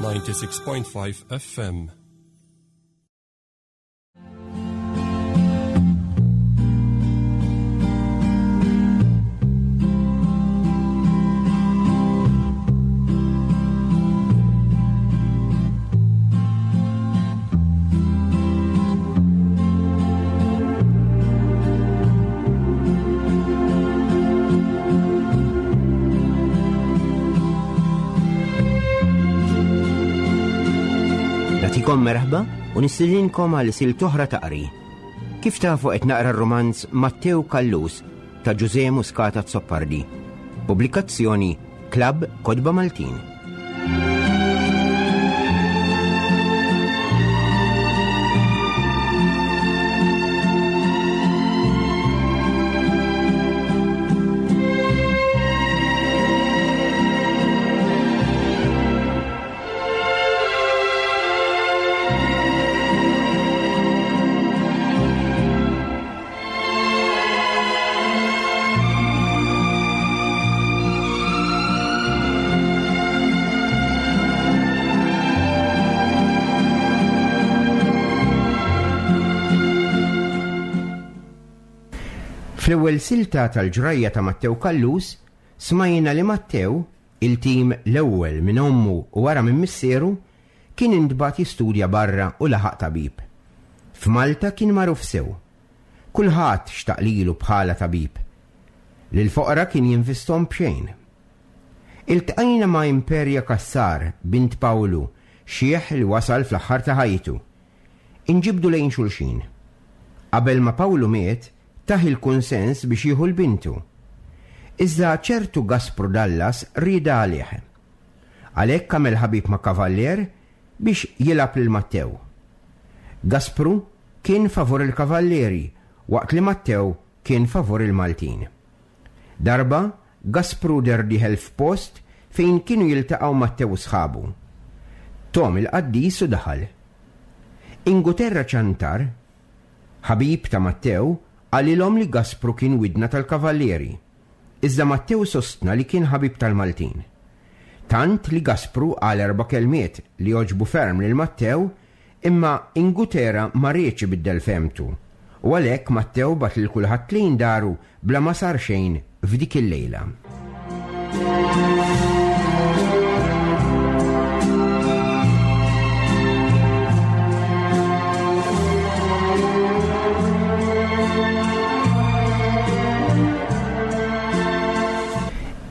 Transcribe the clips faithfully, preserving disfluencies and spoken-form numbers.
ninety-six point five F M. Nagħtikom merħba u nistedinkom għal sil toħra taqri. Kif tafu qed naqra r-romanz Mattew Callus ta' Ġużè Muscat Azzopardi. Pubblikazzjoni Klabb Kotba Maltin. Fl-ewwel silta tal-ġrajja ta' Mattew Callus smajna li Mattew, il-tim l-ewwel minn ommu u wara minn missieru, kien intbagħat jistudja barra u laħaq tabib. F'Malta kien magħruf sew. Kulħadd xtaq lilu bħala tabib. Lil foqra kien jinvestom b'xejn. Iltqajna ma' Imperia Cassar, bint Pawlu, xieħ li wasal fl-aħħar ta' ħajtu. Inġibdu lejn xulxin. Qabel ma Pawlu miet, taħ il-kunsens biex jieħu l-bintu. Iżda ċertu Gaspru Dallas rieda għalih. Għalhekk għamel ħabib ma' kavallier biex jilgħab lil Mattew. Gaspru kien favur il-kavallieri waqt li Mattew kien favur il-Maltin. Darba Gaspru der dieħel f'post fejn kienu jiltaqgħu Mattew u sħabu. Tom il-qaddis u daħal. Inguterra Ċantar, ħabib ta' Mattew, qalilhom li Gaspru kien widna tal-kavallieri. Iżda Mattew sostna li kien ħabib tal-Maltin. Tant li Gaspru qal erba' kelmiet li għoġbu ferm lil Mattew, imma Ingutera ma riedx ibiddel femtu. U għalhekk Mattew bagħat lil kulħadd lejn daru bla ma sar xejn f'dik il-lejla.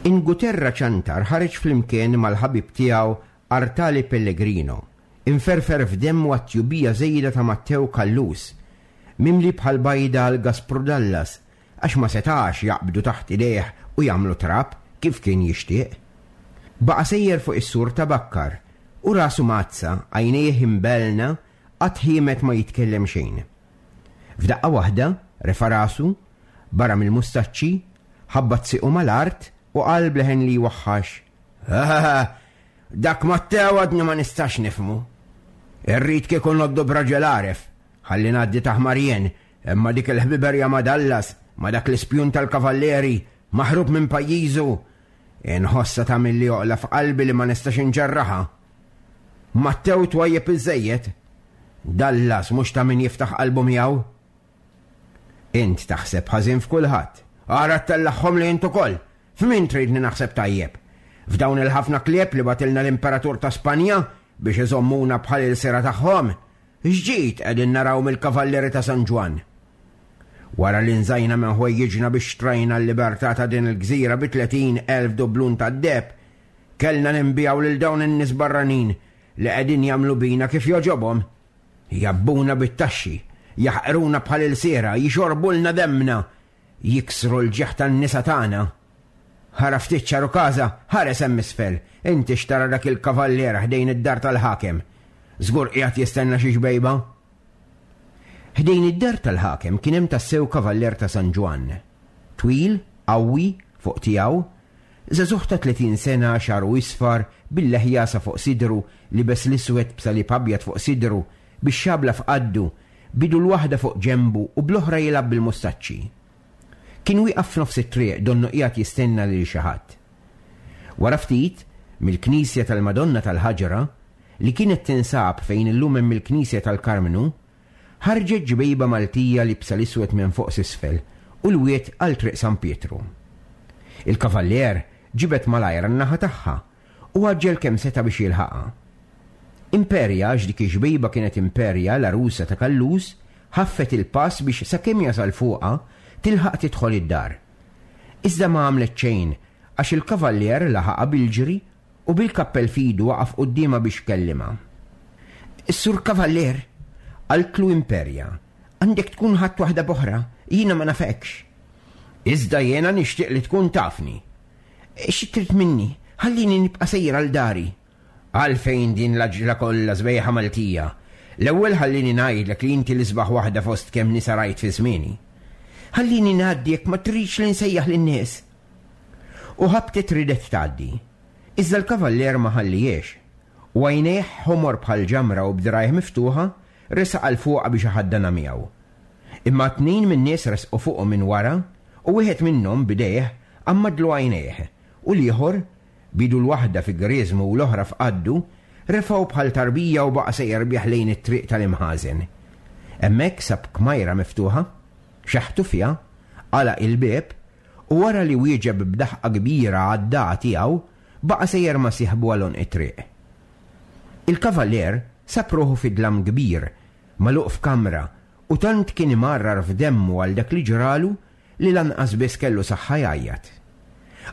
Inguterra Ċantar ħareġ flimkien mal-ħabib tiegħu Artali Pellegrino, inferfer f'demmu għat-tjubija żejda ta' Mattew Callus, mimli bħal bajda għal Gaspru Dallas, għax ma setax jaqbdu taħt idejh u jagħmlu trab kif kien jixtieq. Baqa' sejjer fuq is-sur ta' Bakkar u rasu mazza, għajnejh imbelna, qatt ħiemet ma jitkellem xejn. F'daqqa waħda refa' rasu, barra mill-mustaċċi, ħabbat siqu mal-art u qal bleħen li jwaħħax. Ah, dak Mattew għadni ma nistax nifhmu. Irrid kieku noddu b'raġel għaref, ħalli ngħaddi taħmar jien, imma dik il-ħbiberja ma' Dallas, ma' dak l-ispjun tal-kavallieri, maħrub minn pajjiżu. Inħossa ta' milli oqla f'qalbi li ma nistax inġerraħa. Mattew twajjeb iżejjed. Dallas mhux ta' min jiftaħ qalbu miegħu. Int taħseb ħażin f'kulħadd. Ara tellagħhom li int ukoll. F'min tridni naħseb tajjeb? F'dawn il-ħafna klieb li batilna l-Imperatur ta' Spanja biex iżommuna bħal il-sira tagħhom, x'ġid qegħdin naraw mill-Kavallieri ta' San Ġwann. Wara li nżajna minn ħwejjiġna biex xtrajna l-libertà ta' din il-gżira bi tletin elf dublun tad-deheb, kellna ninbijaw lil dawn in-nies barranin li qegħdin jagħmlu bina kif jogħġobhom. Jabbuna bit-taxxi, jaħqruna bħal il-sira, jixorbulna demna, jiksru l-ġieħ tan-nisa tagħna. Ħara ftit ċaru każa, ħares hemm isfel, inti xtara dak il-kavallier ħdejn id-dar tal-ħakem. Żgur qiegħed jistenna xi xbejba. Ħdejn id-dar tal-ħakem kien hemm tassew kavallier ta' San Ġwann. Twil, qawwi, fuq tiegħu, żagħżugħ ta' tletin sena, xagħru isfar, bil-leħja sa fuq sidru, libes l-iswed b'salib abjad fuq sidru, bix-xabla f'qaddu, bidu l-waħda fuq ġembu u bl-oħra jilgħab bil-mustaċċi. Kien wieqaf f'nofs it-triq donnu qiegħed jistenna lil xi ħadd. Wara ftit, mill-Knisja tal-Madonna tal-Ħaġra, li kienet tinsab fejn illum hemm il-Knisja tal-Karmnu, ħarġet ġbejba Maltija liebsa l-iswed minn fuq s'isfel u l-wied għal Triq San Pietru. Il-kavallier ġibed malajr għan-naħa tagħha u għaġġel kemm seta' biex jilħaqha. Imperja, għax dik ix-xbejba kienet Imperja, l-għarusa ta' Callus, ħaffet il-pass biex sakemm jasal fuqha tilħaq tidħol id-dar. Iżda ma għamlet xejn għax il-kavallier laħaqha bil-ġri u bil-kappell f'idu waqaf quddiemha biex kellimha. Is-Sur Kavallier, qaltlu Imperja, għandek tkun ħadt waħda b'oħra, jiena ma nafekx. Iżda jiena nixtieq li tkun tafni. Xi trid minni? Ħallini nibqa' sejra għal dari. Għalfejn din l-għaġla kollha sbejħa Maltija? L-ewwel ħallini ngħidlek li inti l-isbaħ waħda fost kemm nisa rajt fi żmieni. Ħallini ngħaddi jekk ma tridx li nsejjaħ lin-nies. U ħabtet ridet tgħaddi. Iżda l-kavallier ma ħallihiex. U għajnejh ħomor bħal ġamra u b'dirgħajh miftuħa resaq għal fuqha biex iħaddanha miegħu. Imma tnejn min-nies resqu fuqu minn wara u wieħed minnhom b'idejh għammadlu għajnejh u l-ieħor, b'idu l-waħda fi griżmu u l-oħra f'qaddu, refgħu bħal tarbija u baqa' sejjer bih lejn it-triq tal-imħażen. Hemmhekk sab kmajra miftuħa, xeħtu fiha, għalaq il-bieb u wara li wieġeb b'daħqa kbira għad-dagħa tiegħu, baqa' sejjer ma' sieħbu għal għonq it-triq. Il-kavallier sab ruħu fi dlam kbir, magħluq f'kamra, u tant kien imarrar f'demmu għal dak li ġralu li lanqas biss kellu saħħa jgħajjat.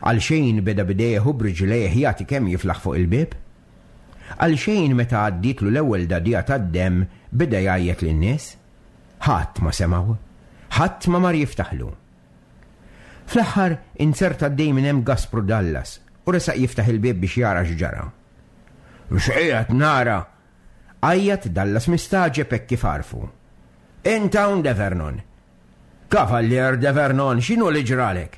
Għal xejn beda b'idejh u b'riġlejh jagħti kemm jiflaħ fuq il-bieb. Għal xejn meta għaddietlu l-ewwel dadija tad-demm beda jgħajjat lin-nies. Ħadd ma semgħu, ħadd ma mar jiftaħlu. Fl-aħħar inzerta għaddej minn hemm Gaspru Dallas u resaq jiftaħ il-bieb biex jara x'ġara. X'qiegħed nara? Għajjat Dallas mistagħġeb hekk kif għarfu. Int hawn De Vernon. Kavallier De Vernon, x'inhu li ġralek?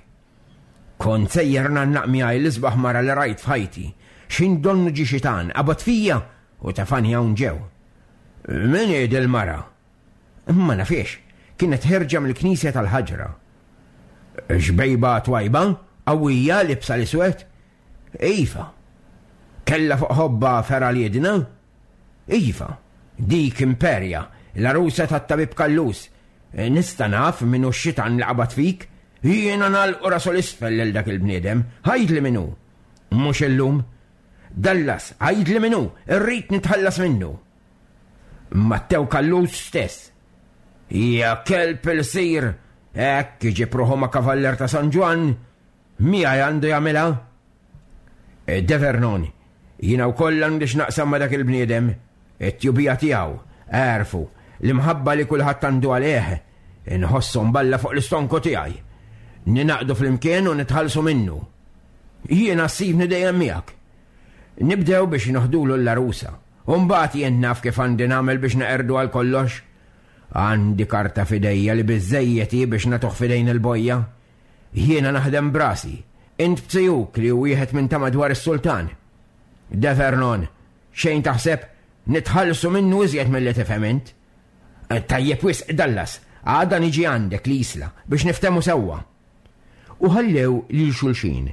Kont sejjer ngħannaq miegħi l-isbaħ mara li rajt f'ħajti. X'in donnu ġie xitan, qabad fija u tefani hawn ġew. Min hi dil-mara? Ma nafiex, kienet ħerġa mill-knisja tal-ħaġra. Xbejba twajba, qawwija libsa l-iswed? Iva. Kella fuq ħobba fergħa liedna? Iva. Dik Imperja, l-għarusa tat-tabib Callus. Nista' naf min hu x-xitan li qabad fik? Jiena nagħlqu rasu l-isfel lil dak il-bniedem. Għidli min hu. Mhux illum. Dallas, għidli min hu, irrid nitħallas minnu. Mattew Callus stess. Ja kelb il-sir, hekk iġib ruħu ma' kavallier ta' San Ġwann, miegħi għandu jagħmilha. De Vernon, jiena wkoll għandi x'naqsam ma' dak il-bniedem, it-tjubija tiegħu, għerfu, l-imħabba li kulħadd għandu għalih, inħossu mballa fuq l-istonku tiegħi. Ninaqdu flimkien u nitħallsu minnu. Jiena ssibni dejjem miegħek. Nibdew biex noħdulu l-għarusa, u mbagħad jien naf kif għandi nagħmel biex neqerdu għal kollox. Għandi karta f'idejja li biżżejjed hi biex nagħtuh f'idejn il-bojja. Jiena naħdem brasi, int b'tiegħek li hu wieħed minn ta' madwar is-sultan. De Vernon, xejn taħseb nitħallsu minnu iżjed milli tifhem int. Tajjeb wisq Dallas, għada niġi għandek l-isla biex niftehmu sewwa. U ħallew lil xulxin.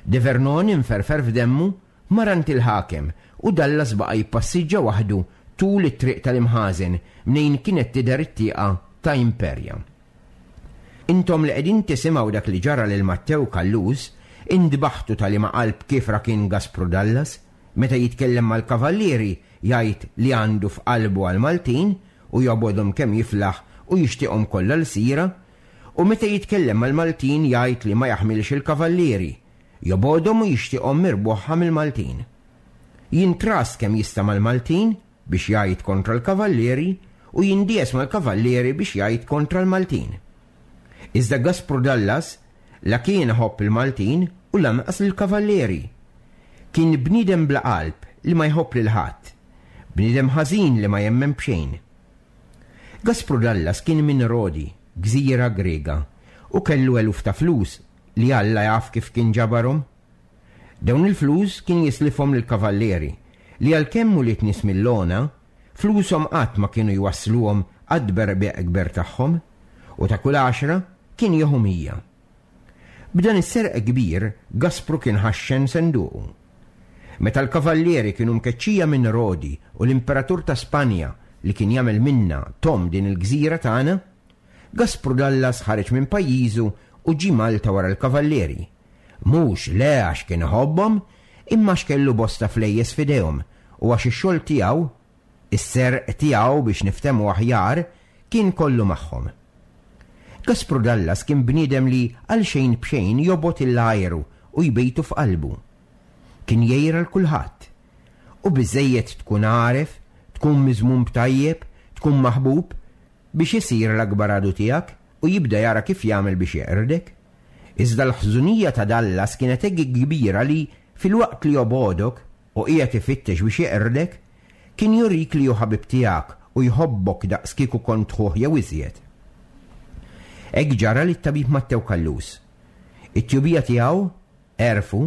De Vernon inferfer f'demmu mar għand il-ħakem u Dallas baqa' jippassiġġa waħdu tul it-triq tal-imħażen mnejn kienet tidher it-tieqa ta' Imperja. Intom li qegħdin tisimgħu dak li ġara lil Mattew Callus, indbaħtu tal-ima qalb kif kien Gaspru Dallas, meta jitkellem mal-kavallieri jgħid li għandu f'qalbu għal-Maltin u jobgħodhom kemm jiflaħ u jixtieqhom kollha l-sira, u meta jitkellem mal-Maltin jgħid li ma jaħmilx il-kavallieri, jobgħodhom u jixtieqhom mirbuħa mill-Maltin. Jintras kemm jista' mal-Maltin biex jgħid kontra l-kavallieri u jindies mal-kavallieri biex jgħid kontra l-Maltin. Iżda Gaspru Dallas la kien iħobb il-Maltin u lanqas lill-kavallieri. Kien bniedem bla qalb li ma jħobb lil ħadd, bniedem ħażin li ma jemmen b'xejn. Gaspru Dallas kien minn Rodi, gżira Grega, u kellu eluf ta' flus li Alla jaf kif kien ġabarhom. Dawn il-flus kien jislifhom lill-kavallieri li għalkemm ulied nies mill-għona, flushom qatt ma kienu jwassluhom għad-tberbiq kber tagħhom, u ta' kull għaxra kien jieħu mija. B'dan is-serq kbir Gaspru kien ħaxxen senduqu. Meta l-kavallieri kienu mkeċċija minn Rodi u l-Imperatur ta' Spanja li kien jagħmel minna tom din il-gżira tagħna, Gaspru Dallas ħareġ minn pajjiżu u ġie Malta wara l-kavallieri. Mhux le għax kien iħobbhom, imma għax kellu bosta flejjes f'idejhom u għax ix-xogħol tiegħu, is-serq tiegħu biex niftehmu aħjar, kien kollu magħhom. Gaspru Dallas kien bniedem li għal xejn b'xejn jobgħod il-għajru u jbejtu f'qalbu. Kien jgħir għal kulħadd. U biżżejjed tkun għaref, tkun miżmum b'tajjeb, tkun maħbub biex isir l-akbar għadu tiegħek u jibda jara kif jagħmel biex jeqrdek. Iżda l-ħżunija ta' Dallas kienet hekk kbira li filwaqt li jobgħodok u qiegħed ifittex biex jeqrdek, kien jurik li hu ħabib tiegħek u jħobbok daqs kieku kont ħuh jew iżjed. Hekk ġara lit-tabib Mattew Callus. It-tjubija tiegħu, għerfu,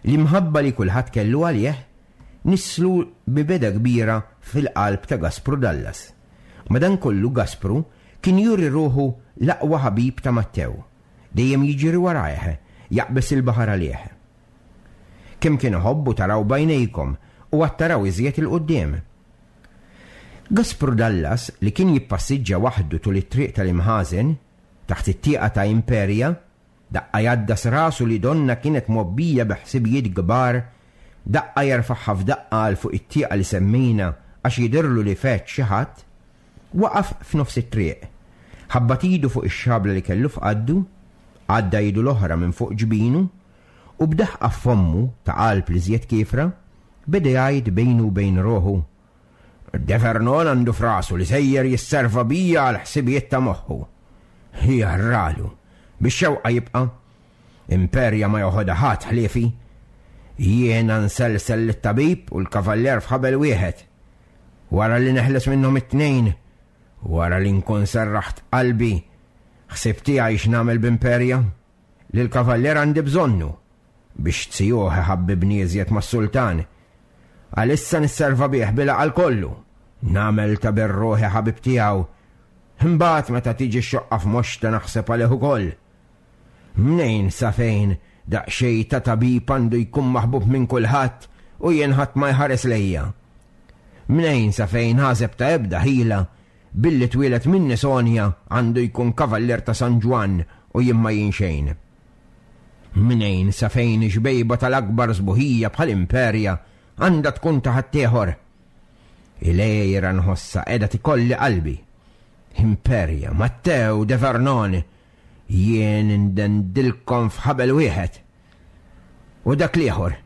l-imħabba li kulħadd kellu għalih, nisslu mibegħda kbira fil-qalb ta' Gaspru Dallas. Madankollu Gaspru kien juri ruħu l-aqwa ħabib ta' Mattew, dejjem jiġri warajh, jaqbes il-baħar għalih. Kemm kien iħobbu taraw b'għajnejkom u għad taraw iżjed il-quddiem. Gaspru Dallas, li kien jippassiġġa waħdu tul it-triq tal-imħażen, taħt it-tieqa ta' Imperia, daqqa jgħaddas rasu li donna kienet mgħobbija bi ħsibijiet kbar, daqqa jerfagħha f'daqqa għal fuq it-tieqa li semmejna għax jidhirlu li feġġ xi ħadd, waqaf f'nofs it-triq, ħabbat idu fuq ix-xabla li kellu f'qaddu, għadda idu l-oħra minn fuq ġbinu, u b'daħqa f'fommu ta' qalb li żjed kiefra, beda jgħid bejnu u bejn ruħu: De Vernon għandu f'rasu li sejjer jisserva bija għal ħsibijiet ta' moħħu. Jarralu, bix-xewqa jibqa'. Imperja ma joħodha ħadd ħliefi. Jiena nselsel lit-tabib u l-kavallier f'ħabel wieħed. Wara li neħles minnhom it-tnejn, wara li nkun serraħt qalbi, ħsieb tiegħi x'nagħmel b'Imperja? Lill-kavallier għandi bżonnu biex tzijuh iħabbibni iżjed mas-sultan. Għalissa nisserva bih bil-għaqal kollu, nagħmel ta' berruħi ħabib tiegħu. Imbagħad meta tiġi x-xoqqa f'moxta naħseb għalih ukoll. Mnejn sa fejn daqsxejn ta' tabib għandu jkun maħbub minn kulħadd u jien ħadd ma jħares lejja. Mnejn sa fejn ħaseb ta' ebda ħila billi twieled minni Sonja għandu jkun kavallier ta' San Ġwann u jien ma jien xejn. Mnejn sa fejn xbejba tal-akbar sbuħija bħal Imperja għandha tkun ta' ħaddieħor. Ilejra nħossa qiegħda tikolli qalbi. Imperja, Mattew de Vernon, jien indendilkom f'ħabel wieħed. U dak l-ieħor,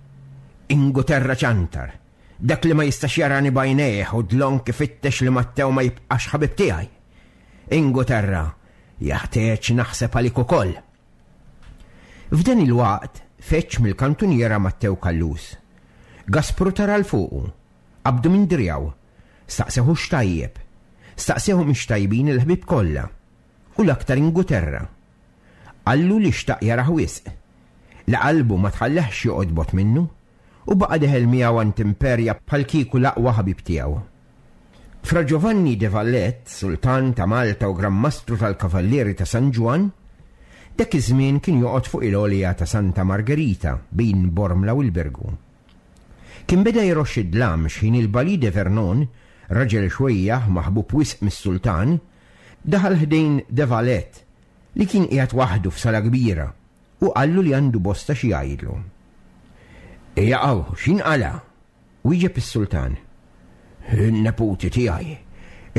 Inguterra ċantar, dak li ma jistax jarani b'għajnejh u dlonk ifittex li Mattew ma jibqax ħabib tiegħi. Inguterra, jaħtieġ naħseb għalik ukoll. F'dan il-waqt feċ mill-kantuniera Mattew Callus. Gaspru tara l fuqu, qabdu minn driegħu, staqseħu x'tajjeb, staqseħu mhix tajbin il-ħbieb kollha, u l-aktar Inguterra. Qallu li xtaq jarah wisq, li qalbu ma tħallehx joqgħod bot minnu, u baqa' deħel miegħu għand Imperja bħal kieku l-aqwa ħabib tiegħu. Fra Giovanni de Valette, sultan ta' Malta u Gran Mastru tal-Kavallieri ta' San Ġwann, dak iż-żmien kien joqgħod fuq il-għolja ta' Santa Margherita bejn Bormla u l-Birgu. Kien beda jroxx id-dlam x'ħin il-Bali de Vernon, raġel xwejjaħ maħbub wisq mis-sultan, daħal ħdejn de Valette li kien qiegħed waħdu f'sala kbira u qallu li għandu bosta xi jgħidlu. Ejja hawn, x'inqala? Wieġeb is-sultan. In-neputi tiegħi,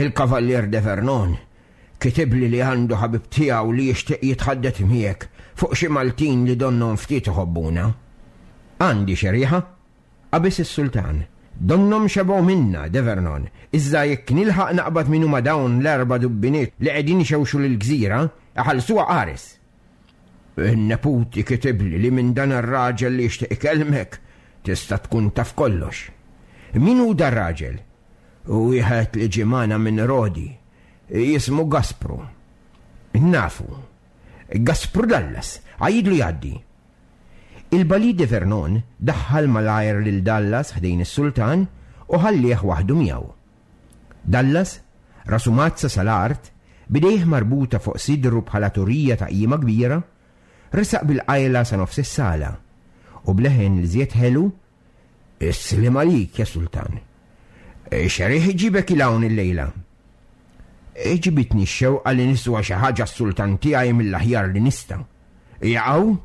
il-Kavallier de Vernon, kitibli li għandu ħabib tiegħu li jixtieq jitħaddet miegħek fuq xi Maltin li donnhom ftit iħobbuna. Għandi xi riħa? Qabeż is-sultan. Donnhom xebgħu minna, de Vernon, iżda jekk nilħaq naqbad min huma dawn l-erba' dubbiniet li qegħdin ixewxu lill-gżira, iħallsuha qares. In-neputi kitibli li minn dan ir-raġel li jixtieq ikellmek tista' tkun taf kollox. Min hu dar raġel? Wieħed li ġie magħna minn Rodi, jismu Gaspru. Nafu. Gaspru Dallas, għidlu jgħaddi. Il-Bali de Vernon daħħal malajr lil Dallas ħdejn is-sultan u ħallih waħdu miegħu. Dallas, rasu mazza sal-art, bidejh marbuta fuq sidru bħala turija ta' qima kbira, resaq bil-qajla sa nofs is-sala u bleħen li żjed ħelu Is-sliem għalik, ja sultan. X'riħ iġibek 'il hawn illejla? Ġibitni x-xewqa li niswa xi ħaġa s-sultan tiegħi mill-aħjar li nista'. Jaqgħu?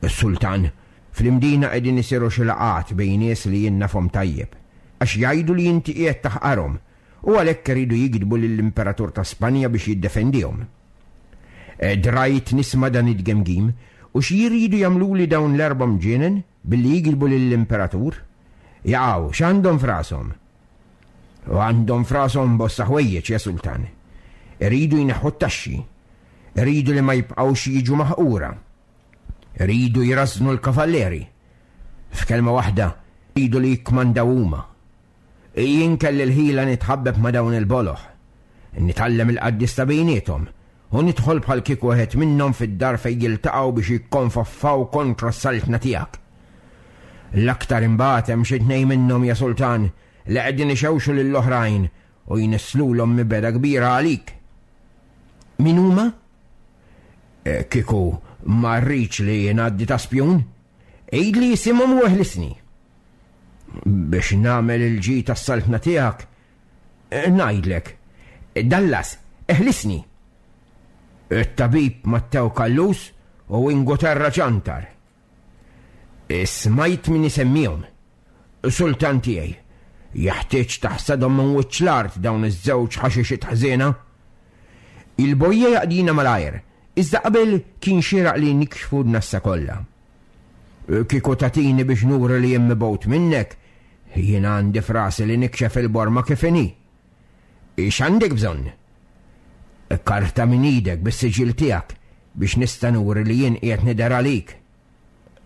Sultan, fl-Imdina qegħdin isiru xi laqgħat bejn nies li jien nafhom tajjeb, għax jgħidu li inti qiegħed taħqarhom u għalhekk iridu jigdbu lill-Imperatur ta' Spanja biex jiddefendihom. Drajt nisma' dan id-gemgim u xi jridu jagħmluli dawn l-erba' mġienen billi jigdbu lill-Imperatur? Jaqgħu, x'għandhom f'rashom? U għandhom f'rashom bosta ħwejjeġ, ja sultan. Iridu jneħħu t-taxxi. Iridu li ma jibqgħux jiġu maħqura. Iridu jrażżnu l-kavallieri. F'kelma waħda, iridu li jikkmandaw huma. Jien kelli l-ħila nitħabbeb ma' dawn il-boloh. Nitgħallem il-qaddis ta' bejniethom u nidħol bħal kieku wieħed minnhom fid-dar fejn jiltaqgħu biex jikkonfoffaw kontra s-saltna tiegħek. L-aktar imbagħad hemm xi tnejn minnhom, ja sultan, li qegħdin ixewxu lill-oħrajn u jnisslulhom mibegħda kbira għalik. Min huma? Kieku ma rridx li ngħaddi ta' spjun, għidli jisimhom u eħlisni. Biex nagħmel il-ġid tas-saltna tiegħek, ngħidlek, Dallas, eħlisni. It-tabib Mattew Callus u Inguterra Ċantar. Smajt min isemmihom. Sultan tiegħi, jeħtieġ taħsadhom minn wiċċ l-art dawn iż-żewġ ħaxixiet ħżiena. Il-bojja jaqdina malajr, iżda qabel kien xieraq li nikxfu n-nassa kollha. Kieku tatini biex nuri li jien mibgħut minnek, jien għandi frasi li nikxef il-borma kif inhi. X'għandek bżonn? Karta minn idek bis-siġil tiegħek biex nista' nuri li jien qiegħed nidher għalik.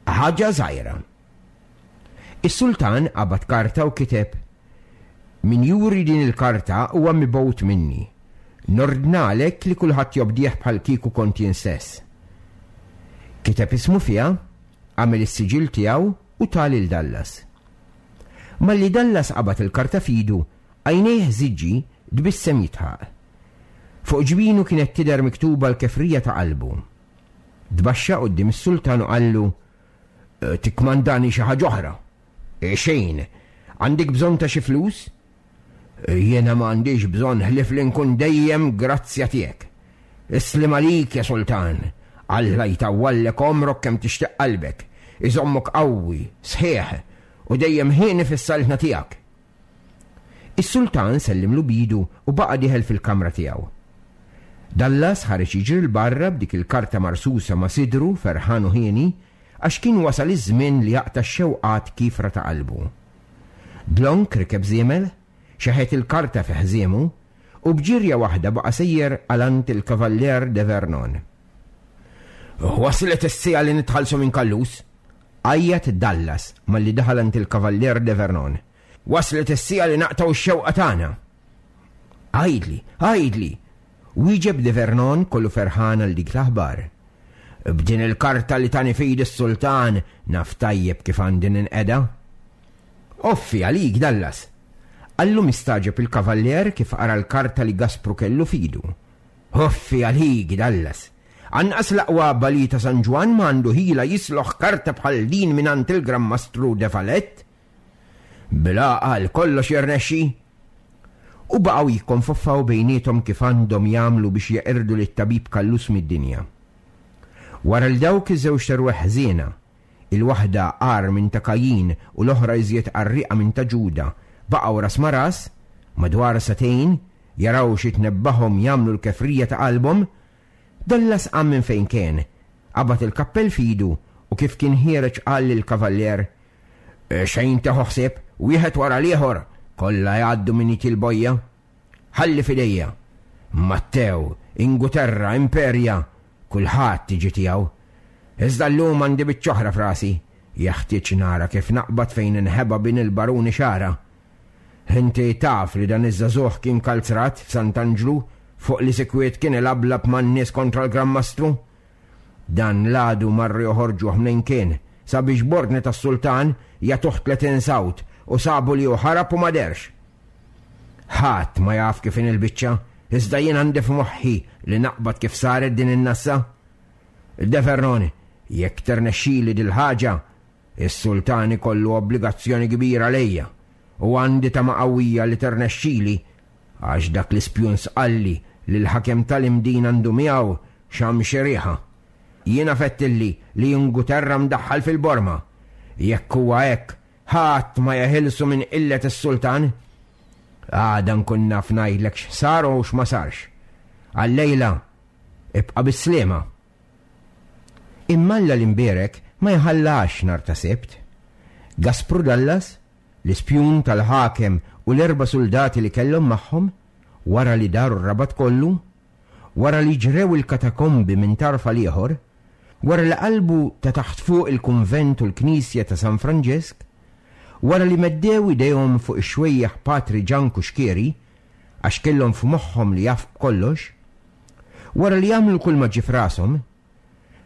Ħaġa żgħira. Is-sultan qabad karta u kiteb: Min juri din il-karta huwa mibgħut minni. Nordnalek li kulħadd jobdih bħal kieku kont jien stess. Kiteb ismu fiha, għamel is-siġil tiegħu u ta lil Dallas. Malli Dallas qabad il-karta f'idu, għajnejh żiġġi tbissem jitħaq. Fuq ġbinu kienet tidher miktuba l-kefrija ta' qalbu. Tbaxxa quddiem is-sultan u qallu: Tikkmandani xi ħaġa oħra. Xejn, għandek bżonn ta' xi flus? Jiena ma għandix bżonn ħlief li nkun dejjem grazzja tiegħek. Islim għalik, ja sultan. Alla jtawwallek għomrok kemm tixtieq qalbek, iżommok qawwi, sħiħ u dejjem ħieni fis-saltna tiegħek. Is-sultan sellimlu bidu u baqa' dieħel fil-kamra tiegħu. Dallas ħareġ jiġri 'l barra b'dik il-karta marsusa ma' sidru ferħan u ħieni għax kien wasal iż-żmien li jaqta' x-xewqat kifra ta' qalbu. Dlonk rikeb żiemel, xeħet il-karta fi ħżiemu u b'ġirja waħda baqa' sejjer għal għand il-Kavallier de Vernon. Waslet is-siegħa li nitħallsu minn Callus, għajjat Dallas malli daħal għand il-Kavallier de Vernon. Waslet is-siegħa li naqtgħu x-xewqa tagħna. Għidli, għidli, wieġeb de Vernon kollu ferħan għal dik l-aħbar. B'din il-karta li tani fidi s-sultan naf tajjeb kif għandi ninqeda. Offi għalik, Dallas. Qallu mistaġeb il-kavallier kif qara l-karta li Gaspru kellu fidu. Offi għalik, Dallas. Anqas l-aqwa bali ta' San Ġwann ma għandu ħila jisloħ karta bħal din mingħand il-Gran Mastru de Valette. Bil-għaqal kollox jirnexxi. U baqgħu jikkonfoffaw bejniethom kif għandhom jagħmlu biex jeqirdu lit-tabib Callus mid-dinja. Wara l dawk iż-żewġ terweħ ħżiena, il-waħda agħar minn ta' Kajin u l-oħra iżjed qarrieqa minn ta' Ġuda, baqgħu ras ma' ras, madwar sagħtejn, jaraw xi tnebbahom jagħmlu l-kefrija ta' qalbhom, Dallas qam minn fejn kien, qabad il-kappell f'idu u kif kien ħiereġ qal lill-kavallier: Xejn teħu ħsieb, wieħed wara l-ieħor, kollha jgħaddu minn id il-bojja. Ħalli f'idejja. Mattew, Inguterra, Imperja, kulħadd tiġi tiegħu. Iżda llum għandi biċċa oħra f'rasi, jeħtieġ nara kif naqbad fejn inħeba bin il-baruni Xara. Inti taf li dan iż-żagħżugħ kien kalzrat f'Sant'Anġlu fuq li sikwiet kien ilablab man-nies kontra l-Gran Mastru. Dan l-għadu marru joħorġuh mnejn kien, sabiex b'ordni tas-sultan jagħtuh tletin sawt u sabu li hu ħarab u ma derx. Ħadd ma jaf kif in il-biċċa, iżda jien għandi f'moħħi li naqbad kif saret din in-nassa. De Vernon, jekk ternexxili dil-ħaġa, Is-sultan ikollu obbligazzjoni kbira lejja u għandi tama qawwija li ternexxili għax dak l-ispjun sqalli li l-ħakem tal-Imdin għandu miegħu xam xi riħa. Jiena fettilli li Inguterra mdaħħal fil-borma. Jekk huwa hekk, ħadd ma jeħilsu minn qillet is-sultan. Għada nkun naf ngħidlek x'sar u x'ma sarx. Għal-lejla, ibqa' bis-sliema. Imma Alla l-imbierek ma jħallax nhar ta' Sibt. Gaspru Dallas, l-ispjun tal-ħakem u l-erba' suldati li kellhom magħhom, wara li daru r-Rabat kollu, wara li ġrew il-katakombi minn tarf għal ieħor, wara li qalbu ta' taħt fuq il-kunvent u l-knisja ta' San Franġesk, wara li meddew idejhom fuq ix-xwejjaħ Patri Ġan Kuxkieri, għax kellhom f'moħħhom li jaf b'kollox, wara li għamlu kull ma ġie f'rashom,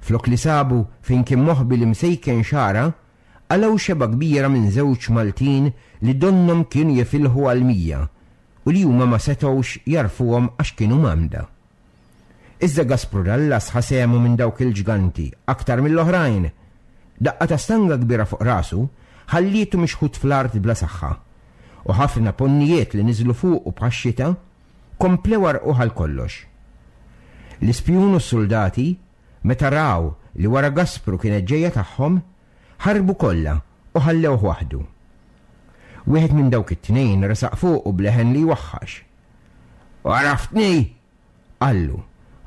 flok li sabu fejn kien moħbi l-imsejken xagħra, qalgħu xebgħa kbira minn żewġ Maltin li donnhom kienu jifilħu għal mija u li huma ma setgħux jagħrfuhom għax kienu mgħammda. Iżda Gaspru Dallas ħa sehmu minn dawk il-ġganti aktar mill-oħrajn. Daqqa ta' stanga kbira fuq rasu ħallietu mixħut fl-art bla saħħa, u ħafna ponnijiet li niżlu fuqu bħax-xita komplew għarquh għal kollox. L-ispjun u s-suldati, meta raw li wara Gaspru kienet ġejja tagħhom, ħarbu kollha u ħallewh waħdu. Wieħed minn dawk it-tnejn resaq fuqu b'leħen li jwaħħax. Għaraftni! Qallu.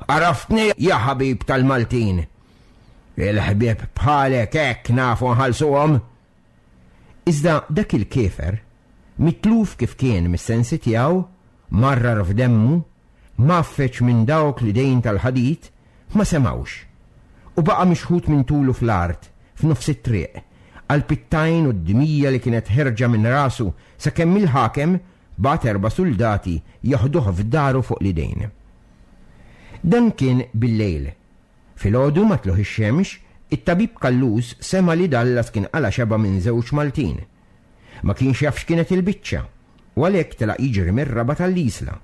Għaraftni, ja ħabib tal-Maltin! Il-ħbieb bħalek hekk nafu nħallsuhom! Iżda dak il-kiefer, mitluf kif kien mis-sensi tiegħu, marrar f'demmu, mgħaffeġ minn dawk l-idejn tal-ħadid, ma semgħux. U baqa' mixħut minn tulu fl-art, f'nofs it-triq, għall-pittajn u d-dmija li kienet ħerġa minn rasu sakemm il-ħakem bagħat erba' suldati jaħduh f'daru fuq l-idejn. Dan kien bil-lejl. Filgħodu ma tlugħ ix-xemx, it-tabib Callus sema' li Dallas kien qala' xebgħa minn żewġ Maltin. Ma kienx jaf x'kienet il-biċċa, u għalhekk telaq jiġri mir-Rabat għall-Isla,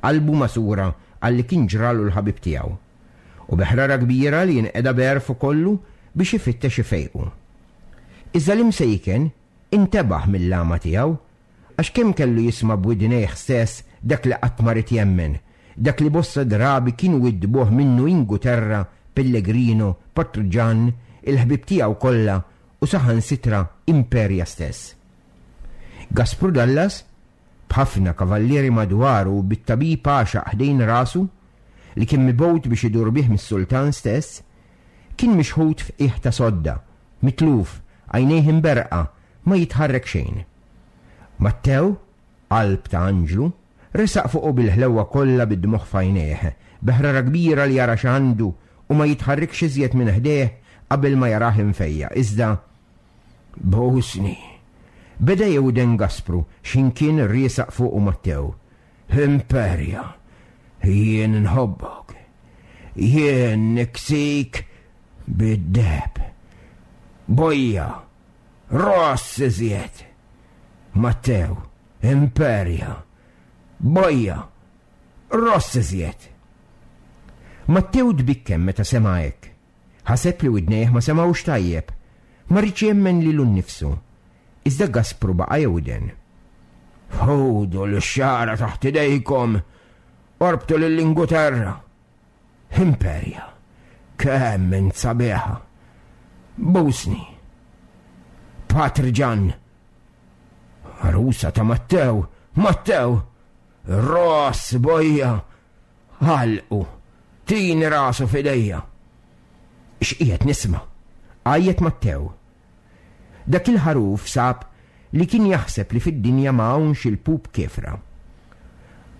qalbu magħsura għal li kien ġralu l-ħabib tiegħu, u bi ħrara kbira li jinqeda b'għerfu kollu biex ifittex ifejqu. Iżda l-imsejken intebaħ mill-għama tiegħu, għax kemm kellu jisma' b'widnejh stess dak li qatt ma ried jemmen, dak li bosta drabi kienu widdbuh minnu Inguterra, Pellegrino, Patri Ġann, il-ħbieb tiegħu kollha u saħansitra Imperia stess. Gaspru Dallas, b'ħafna kavallieri madwaru u bit-tabib għaxaq ħdejn rasu, li kien mibgħut biex idur bih mis-sultan stess, kien mixħut f'qiegħ ta' sodda, mitluf, għajnejh imberrqa, ma jitħarrek xejn. Mattew, qalb ta' anġlu, resaq fuqu bil-ħlewwa kollha bid-dmugħ f'għajnejh, bi ħrara kbira li jara x'għandu u ma jitħarrikx iżjed minn ħdejh qabel ma jarah imfejjaq. Iżda, Bosni! Beda jewden Gaspru x'ħin kien riesaq fuqu Mattew. Imperja! Jien nħobbok. Jien niksik bid-deheb. Bojja! Ross iżjed! Mattew, Imperja! Bojja! Ross iżjed! Mattew tbikkem meta sema' hekk. Ħaseb li widnejh ma semgħux tajjeb. Ma riedx jemmen lilu nnifsu. Iżda Gaspru baqa' jewden. Ħudu l-xagħra taħt idejkom! Orbtu lill-Inguterra! Imperja! Kemm int sabiħa! Busni! Patri Ġann! Għarusa ta' Mattew! Mattew! Ross bojja! Ħalqu! Tini rasu f'idejja! X'qiegħed nisma'? Għajjet Mattew. Dak il-ħaruf sab li kien jaħseb li fid-dinja ma hawnx il-pup kiefra.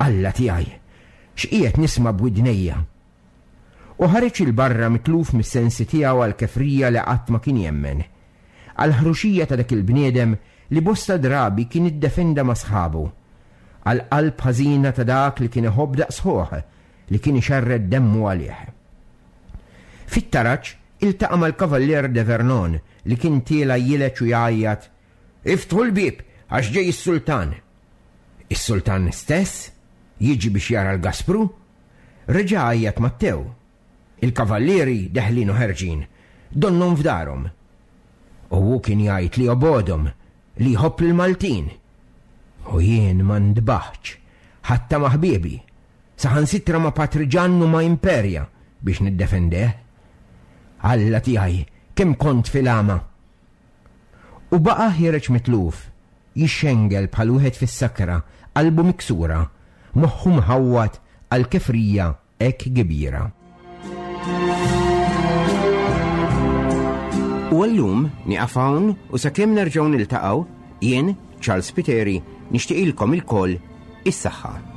Alla tiegħi, x'qiegħed nisma' b'widnejja? U ħareġ 'il barra mitluf mis-sensi tiegħu għall-kefrija li qatt ma kien jemmen, għall-ħruxija ta' dak il-bniedem li bosta drabi kien iddefenda ma' sħabu, għall-qalb ħażina ta' dak li kien iħobb daqs ħuh li kien ixerred demmu għalih. Fit-taraġ iltaqa' mal-Kavallier de Vernon li kien tiela' jileġ u jgħajjat, Iftħu l-bieb għax ġej is-sultan. Is-sultan stess jiġi biex jara l-Gaspru? Reġa' għajjat Mattew. Il-kavallieri deħlin u ħerġin, donnhom f'darhom. U hu kien jgħid li jobgħodhom, li jħobb lill-Maltin. U jien ma ndbaħtx, ħatta ma' ħbiebi, saħansitra ma' Patri Ġann u ma' Imperia biex niddefendeh. Alla tiegħi, kemm kont fil-għama! U baqa' ħiereġ mitluf, jixxengel bħal wieħed fis-sakra, qalbu miksura, moħħu mħawwad għal kefrija hekk kbira. U għallum nieqaf hawn u sakemm nerġgħu niltaqgħu, jien, Charles Spiteri, nixtieqilkom ilkoll is-saħħa.